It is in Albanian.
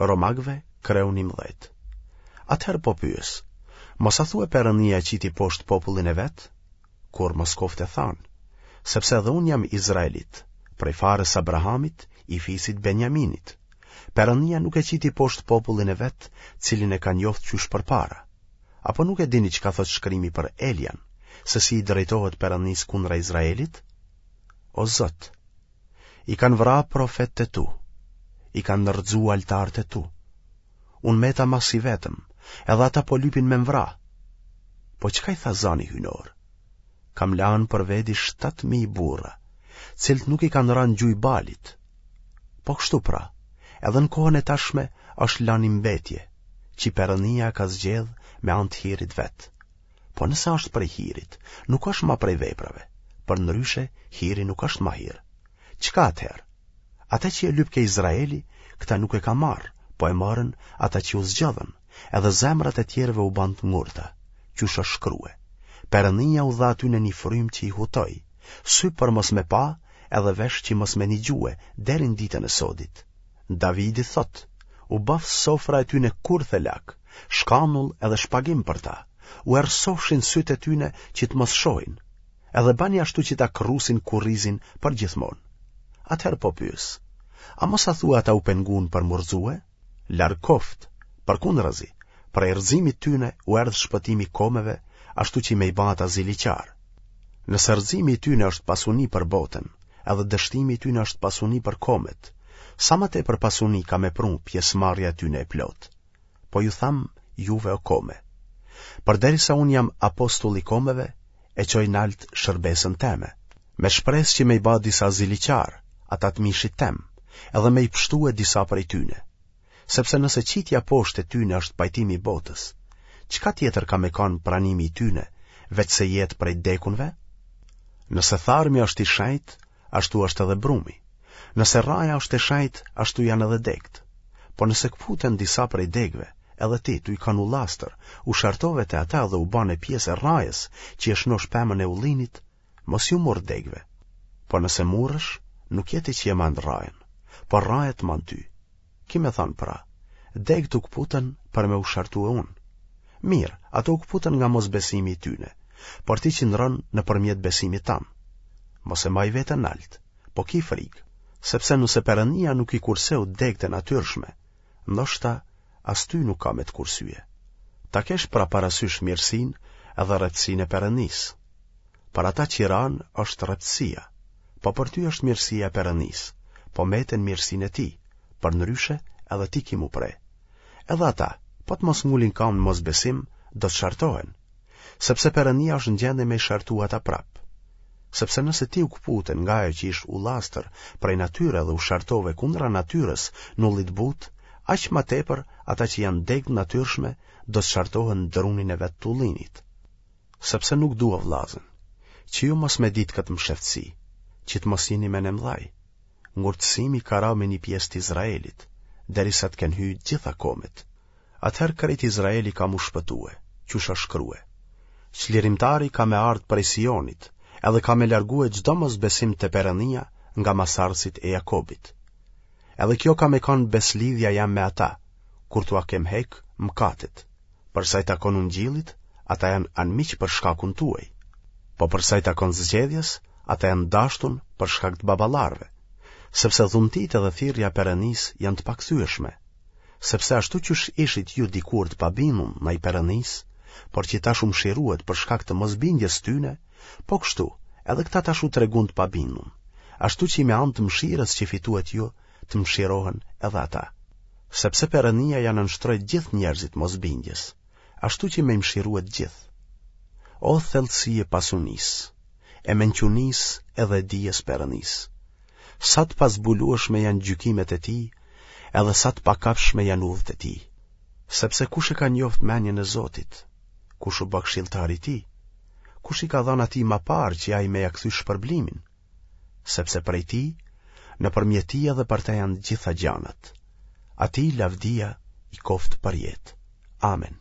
Romakëve, kreu 11. Atëherë po pyes, mos a thue Perënia e qiti poshtë popullin e vet? Kurrë mos koftë e thanë, sepse edhe unë jam izraelit, prej farës Abrahamit, i fisit Benjaminit. Perënia nuk e qiti poshtë popullin e vet, cilin e ka njoftë qysh përpara. Apo nuk e dini çka thotë shkrimi për Elian, se si i drejtohet Perënisë kundra Izraelit? O Zot, i kanë vra profetët e tu, i kanë rrëzu altarët e tu. Unë meta mas i vetëm, edhe ata po lypin me m'vra. Po çka i tha zani hyjnor? Kam lanë për vedi 7.000 burra, cilët nuk i kanë ra në gjujë Balit. Po kështu pra, edhe në kohën e tashme është lanë një mbetje, që Perënia e ka zgjedh me anë të hirit vet. Po nëse është prej hirit, nuk është ma prej veprave, përndryshe hiri nuk është ma hir. Çka atëherë? Ata që e lypke Izraeli, këta nuk e ka marrë, po e morën ata që u zgjodhën, edhe zemrat e tjerëve u banë të ngurta, qysh është shkrue. Perënia u dha atyne një frymë që i hutoi, sy për mos me pa, edhe vesh që mos me nigjue, deri në ditën e sodit. Davidi thotë, u baftë sofra e tyne kurth e lak, shkanull edhe shpagim për ta, u errësofshin sytë e tyne që të mos shohin, edhe bani ashtu që ta kërrusin kurrizin për gjithmonë. Atëherë po pyes, a mos a thua ata u pengun për m'u rrëzue? Larg koftë, përkundrazi, prej rrëzimit tyne u erdh shpëtimi komeve, ashtu që me i ba ata ziliqarë. Nëse rrëzimi i tyne është pasuni për botën, edhe dështimi i tyne është pasuni për komet, sa më tepër pasuni ka me pru pjesëmarrja e tyne e plotë. Po ju tham juve o kome. Përderisa unë jam apostull i komeve, e çoj nalt shërbesën teme, me shpresë që me i ba disa ziliqarë, ata të mishit tem, edhe me i pshtue disa prej tyne. Sepse nëse qitja poshtë e tyne është pajtimi i botës, çka tjetër ka me kanë pranimi i tyne, veçse jetë prej t'dekunve? Nëse tharmi është i shenjtë, ashtu është edhe brumi. Nëse rraja është e shenjtë, ashtu janë edhe degët. Po nëse këputen disa prej degëve, edhe ti, tuj kanë ullastër, u shartove te ata dhe u bane pjesë e rrajës që e shnosh pemën e ullinit, mos ju murr degëve. Po nëse murresh, nuk je ti që e man rrajën, por rraja të man ty. Ki me thanë pra, degët u këputën për me u shartue unë. Mirë, ato u këputën nga mosbesimi i tyne, por ti qëndron nëpërmjet besimit tan. Mos e maj veten nalt, po ki frikë, sepse nëse Perënia nuk i kurseu degët e natyrshme, ndoshta as ty nuk ka me të kursye. Ta kesh pra parasysh mirësinë edhe rreptësinë e Perënisë. Për ata që ranë është rreptësia, po për ty është mirësia e Perënisë, po mete në mirësinë e tij, përndryshe edhe ti ki m'u pre. Edhe ata, po të mos ngulin kamë në mosbesim, do të shartohen, sepse Perënia është në gjendje me i shartu ata prapë. Sepse nëse ti u këpute nga ajo që ish ullastër prej natyre dhe u shartove kundra natyrës në ulli të butë, aq ma tepër ata që janë degë të natyrshme do të shartohen në drunin e vet të ullinit. Sepse nuk dua vllazën, që ju mos me ditë këtë msheftësi, që të mos jeni menemdhaj. Ngurtësimi ka ra me një pjesë të Izraelit, derisa të kenë hy gjitha komet. Atëherë krejt Izraeli ka m'u shpëtue, qysh është shkrue. Çlirimtari ka me ardhë prej Sionit, edhe ka me largue çdo mosbesim te Perënia nga masardhësit e Jakobit. Edhe kjo ka me kanë besëlidhja jem me ata, kur t'ua kem hek mëkatet. Për sa i takon ungjillit, ata janë anmiq për shkakun tuaj. Po për sa i takon zgjedhjes, ata janë dashtun për shkak të baballarëve. Sepse dhuntitë edhe thirrja e Perënisë janë të pakthyeshme. Sepse ashtu qysh ishit ju dikur të pabindun ndaj Perënisë, por që tash u mshiruet për shkak të mosbindjes tyne, po kështu, edhe këta tash u tregun të pabindun, ashtu që me anë të mëshirës që fituet ju, të mëshirohen edhe ata. Sepse Perënia ia nënshtroi gjithë njerëzit mosbindjes, ashtu që me i mëshirue të gjithë. O thellësi e pasunisë, e mençunisë edhe e dijes Perënisë! Sa të pazbulueshme janë gjykimet e tij, edhe sa të pakapshme janë udhët e tij. Sepse kush e ka njoft menjen e Zotit? Kush u bë këshilltar i tij? Kush i ka dhënë atij ma parë që ai me ia kthy shpërblimin? Sepse prej tij, nëpërmjet tij edhe për të janë gjitha gjanat. Atij lavdia i koftë përjetë. Amen.